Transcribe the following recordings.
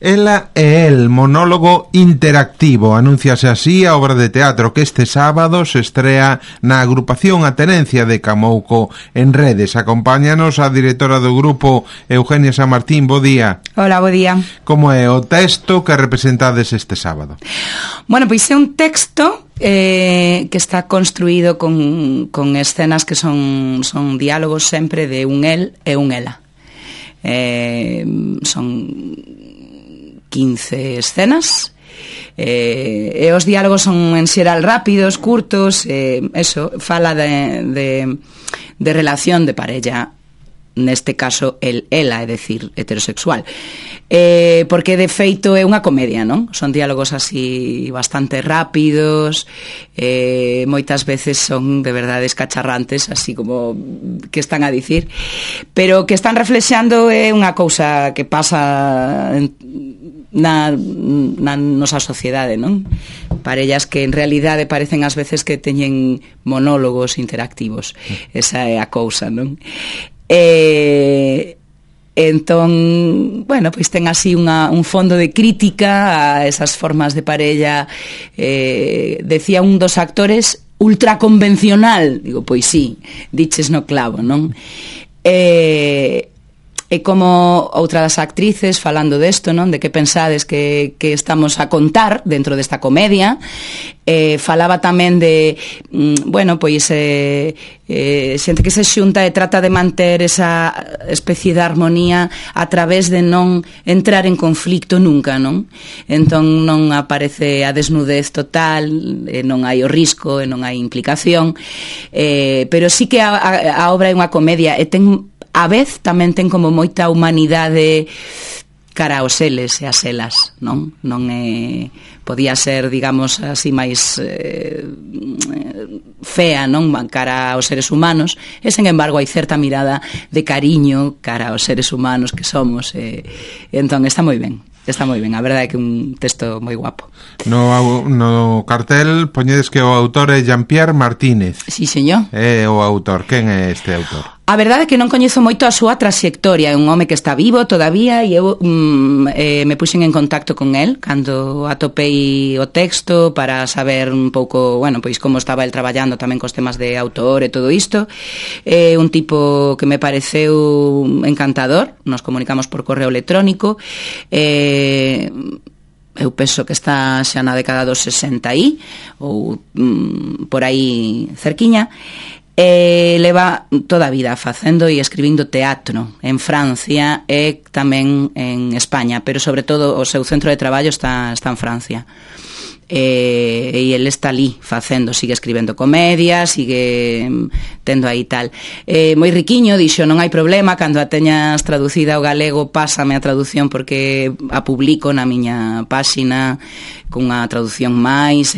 Ela e el, monólogo interactivo. Anúnciase así a obra de teatro que este sábado se estrea na agrupación A Tenencia de Camouco en redes. Acompáñanos a directora do grupo, Eugenia San Martín. Bo día. Hola, bo día. Como é o texto que representades este sábado? Bueno, pois é un texto que está construído con escenas que son diálogos sempre de un el e un ela. Son 15 escenas e os diálogos son en xeral rápidos, curtos, fala de relación de parella, neste caso ela, é dicir, heterosexual, porque de feito é unha comedia, non? Son diálogos así bastante rápidos, moitas veces son de verdade escacharrantes, así como que están a dicir, pero que están reflexando é unha cousa que pasa na nosa sociedade, non? Parellas que en realidade parecen ás veces que teñen monólogos interactivos. Esa é a cousa, non? Entón, bueno, pois ten así un fondo de crítica a esas formas de parella. Decía un dos actores, ultraconvencional. Digo, pois sí, diches no clavo, non? E como outra das actrices falando desto, non? De que pensades que estamos a contar dentro desta comedia, falaba tamén de bueno, pois xente que se xunta e trata de manter esa especie de armonía a través de non entrar en conflicto nunca, non? Entón non aparece a desnudez total, non hai o risco e non hai implicación, pero sí que a obra é unha comedia e ten, a vez tamén ten como moita humanidade cara aos eles e as elas, non? Non é, podía ser, digamos, así máis fea, non? Cara aos seres humanos, e sen embargo hai certa mirada de cariño cara aos seres humanos que somos, entón está moi ben. Está moi ben, a verdade é que é un texto moi guapo. No cartel poñedes que o autor é Jean-Pierre Martínez. Sí, señor. É o autor. Quen é este autor? A verdade é que non coñezo moito a súa traxectoria. É un home que está vivo todavía e eu me puxen en contacto con el cando atopei o texto para saber un pouco, bueno, pois como estaba el traballando tamén cos temas de autor e todo isto. É un tipo que me pareceu encantador. Nos comunicamos por correo electrónico. Eu penso que está xa na década dos 60 aí, ou por aí cerquiña. Leva toda a vida facendo e escribindo teatro en Francia e tamén en España, pero sobre todo o seu centro de traballo está en Francia. E ele está ali facendo, sigue escribendo comedia, sigue tendo aí tal, moi riquiño. Dixo, non hai problema, cando a teñas traducida ao galego pásame a traducción porque a publico na miña páxina cunha traducción máis,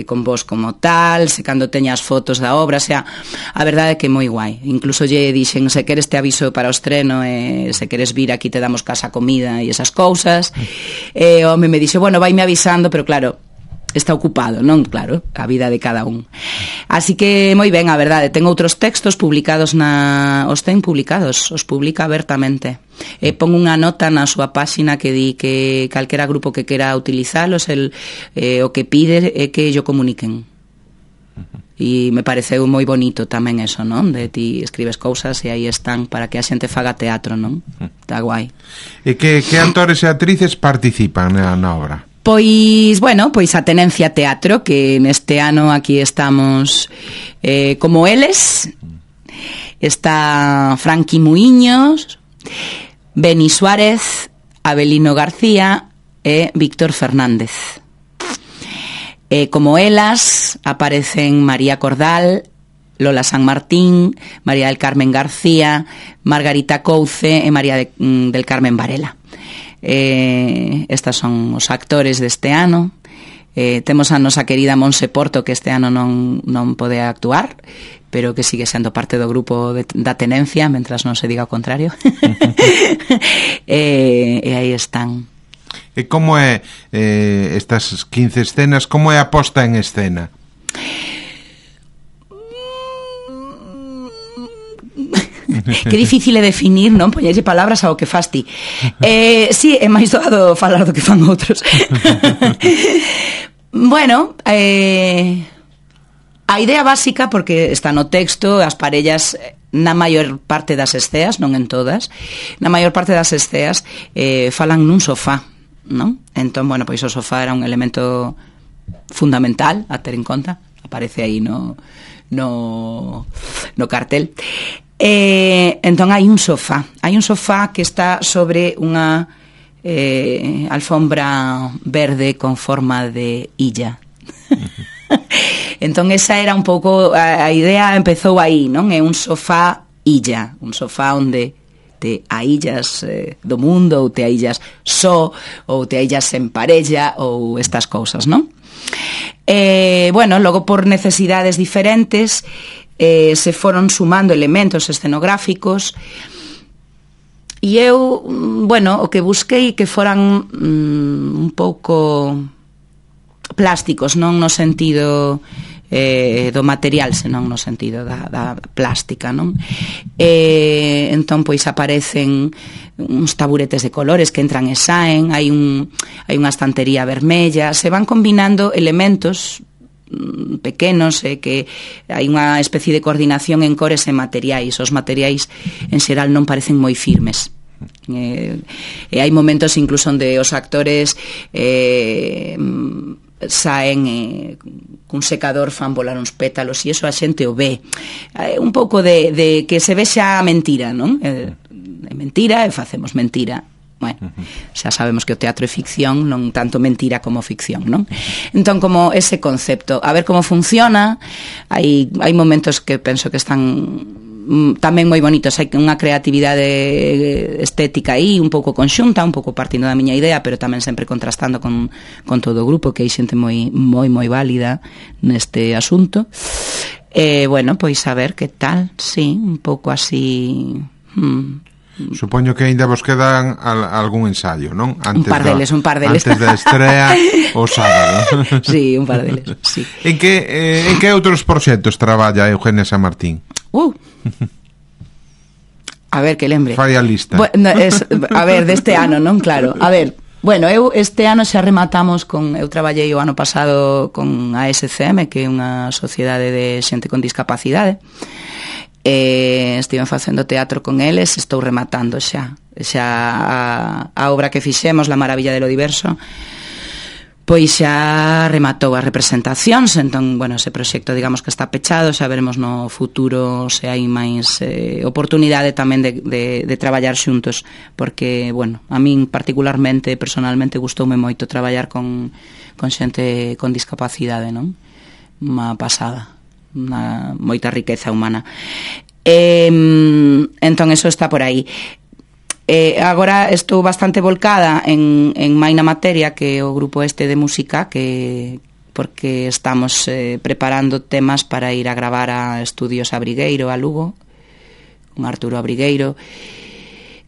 con vos como tal, se cando teñas fotos da obra, o sea, a verdade é que é moi guai. Incluso lle dixen, se queres te aviso para o estreno, se queres vir aquí te damos casa, comida e esas cousas. O home me dixo, bueno, vaime avisando, pero claro, está ocupado, non? Claro, a vida de cada un. Así que moi ben, a verdade. Ten outros textos publicados os ten publicados, os publica abertamente. Pon unha nota na súa páxina que di que calquera grupo que quera utilizalos, o que pide é que yo comuniquen. E me pareceu moi bonito tamén eso, non? De ti escribes cousas e aí están para que a xente faga teatro, non? Está guai. E que actores e actrices participan na obra? Pois, bueno, pois a Tenencia Teatro, que neste ano aquí estamos como eles. Está Franqui Muiños, Beni Suárez, Abelino García e Víctor Fernández. Como elas aparecen María Cordal, Lola San Martín, María del Carmen García, Margarita Couce e María del Carmen Varela. Estas son os actores deste ano. Temos a nosa querida Monse Porto, que este ano non pode actuar, pero que sigue sendo parte do grupo da Tenencia, mentras non se diga o contrario. E aí están. E como é estas 15 escenas, como é a posta en escena? Que difícil é definir, non? Poñerlle palabras ao que fas ti. Sí, é máis doado falar do que fan outros. Bueno, a idea básica, porque está no texto, as parellas na maior parte das esceas, non en todas, na maior parte das esceas falan nun sofá, non? Entón, bueno, pois o sofá era un elemento fundamental a ter en conta, aparece aí no cartel. Entón hai un sofá que está sobre unha alfombra verde con forma de illa. Entón esa era un pouco a idea, empezou aí, non? É un sofá illa, un sofá onde te aillas do mundo, ou te aillas só, ou te aillas en parella, ou estas cousas, non? Bueno, logo por necesidades diferentes se foron sumando elementos escenográficos e eu, bueno, o que busquei que foran un pouco plásticos, non no sentido do material, senón no sentido da plástica, non? Entón, pois aparecen uns taburetes de colores que entran e saen, hai unha estantería vermella, se van combinando elementos pequenos, que hai unha especie de coordinación en cores e materiais. Os materiais en xeral non parecen moi firmes. E hai momentos incluso onde os actores saen cun secador, fan volar uns pétalos e iso a xente o ve. Un pouco de que se vexa a mentira, non? É mentira e facemos mentira. Bueno, xa sabemos que o teatro é ficción, non tanto mentira como ficción, non? Entón, como ese concepto, a ver como funciona, hai momentos que penso que están tamén moi bonitos, hai unha creatividade estética aí, un pouco conxunta, un pouco partindo da miña idea, pero tamén sempre contrastando con todo o grupo, que hai xente moi válida neste asunto. Bueno, pois a ver que tal, sí, un pouco así. Supoño que ainda vos quedan algún ensayo, non? Un par deles. Antes da estrea o sábado. Sí, un par deles, sí. En que outros proxectos traballa Eugenia Samartín? A ver, que lembre. Fai a lista. Bueno, a ver, deste ano, non? Claro. A ver, bueno, eu este ano xa rematamos eu traballei o ano pasado con a SCM, que é unha sociedade de xente con discapacidade. Estiven facendo teatro con eles, estou rematando xa a obra que fixemos, La maravilla de lo diverso, pois xa rematou as representacións. Entón, bueno, ese proxecto digamos que está pechado, xa veremos no futuro se hai máis oportunidade tamén de traballar xuntos, porque, bueno, a min particularmente, personalmente, gustoume moito traballar con xente con discapacidade, non? Unha pasada, moita riqueza humana. Entón, eso está por aí. Agora estou bastante volcada en Maina Materia, que é o grupo este de música, porque estamos preparando temas para ir a gravar a Estudios Abrigueiro, a Lugo, con Arturo Abrigueiro.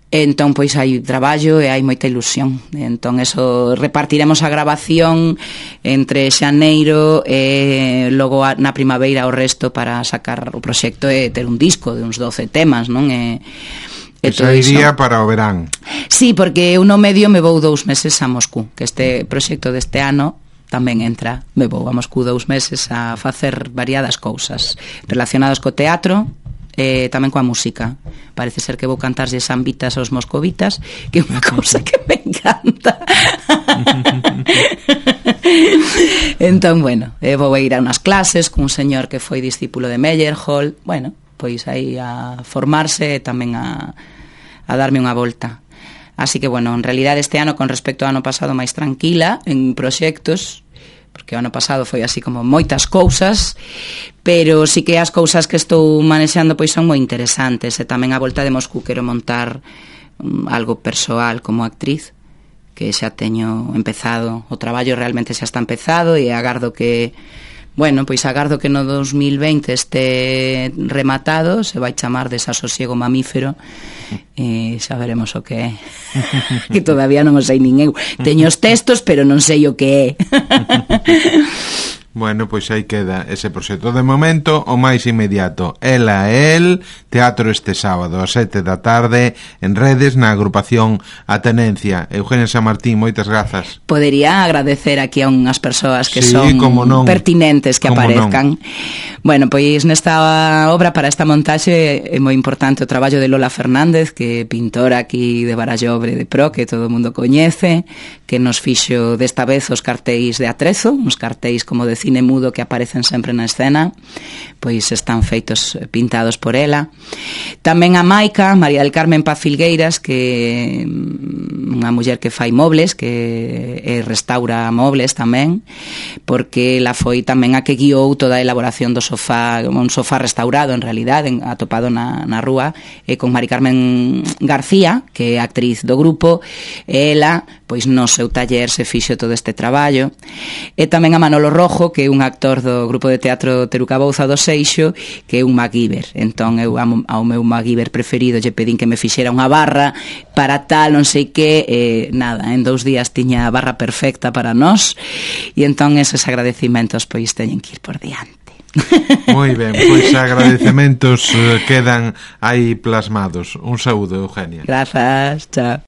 Entón, pois hai traballo e hai moita ilusión. Entón, eso, repartiremos a grabación entre xaneiro e logo na primavera o resto para sacar o proxecto e ter un disco de uns 12 temas, non? Esa iría para o verán. Sí, porque eu no medio me vou 2 meses a Moscú, que este proxecto deste ano tamén entra. Me vou a Moscú 2 meses a facer variadas cousas relacionadas co teatro, tamén coa música. Parece ser que vou cantarlle sambitas aos moscovitas, que é unha cousa que me encanta. Entón, bueno, vou a ir a unhas clases cun señor que foi discípulo de Meyerhold. Bueno, pois aí a formarse e tamén a darme unha volta. Así que, bueno, en realidad este ano, con respecto ao ano pasado, máis tranquila en proxectos, porque o ano pasado foi así como moitas cousas, pero sí que as cousas que estou manexando pois son moi interesantes. E tamén a volta de Moscú quero montar algo persoal como actriz, que xa teño empezado, o traballo realmente xa está empezado, e agardo que no 2020 este rematado, se vai chamar Desasosiego Mamífero, e xa veremos o que é. Que todavía non o sei nin eu. Teño os textos, pero non sei o que é. Bueno, pois aí queda ese proxecto. De momento, o máis inmediato, Ela e El, teatro este sábado a 7 da tarde en Redes, na agrupación A Tenencia. Eugenia Samartín, moitas grazas. Podería agradecer aquí a unhas persoas que sí, son pertinentes que como aparezcan. Bueno, pois nesta obra, para esta montaxe, é moi importante o traballo de Lola Fernández, que é pintora aquí de Barallobre de Pro, que todo o mundo coñece, que nos fixo desta vez os cartéis de Atrezo, uns cartéis como de cine mudo que aparecen sempre na escena, pois están feitos, pintados por ela. Tamén a Maica, María del Carmen Paz Filgueiras, que é unha muller que fai mobles, que restaura mobles tamén, porque ela foi tamén a que guiou toda a elaboración do sofá, un sofá restaurado en realidade, atopado na rúa, e con Mari Carmen García, que é actriz do grupo, ela, pois no seu taller se fixo todo este traballo. E tamén a Manolo Rojo, que é un actor do grupo de teatro Teruca Bouza do Seixo, que é un MacGyver. Entón eu ao meu MacGyver preferido lle pedín que me fixera unha barra para tal, non sei que, nada, en 2 días tiña a barra perfecta para nós, e entón eses agradecimentos pois teñen que ir por diante. Moi ben, pois agradecementos quedan aí plasmados. Un saúdo, Eugenia. Grazas, chao.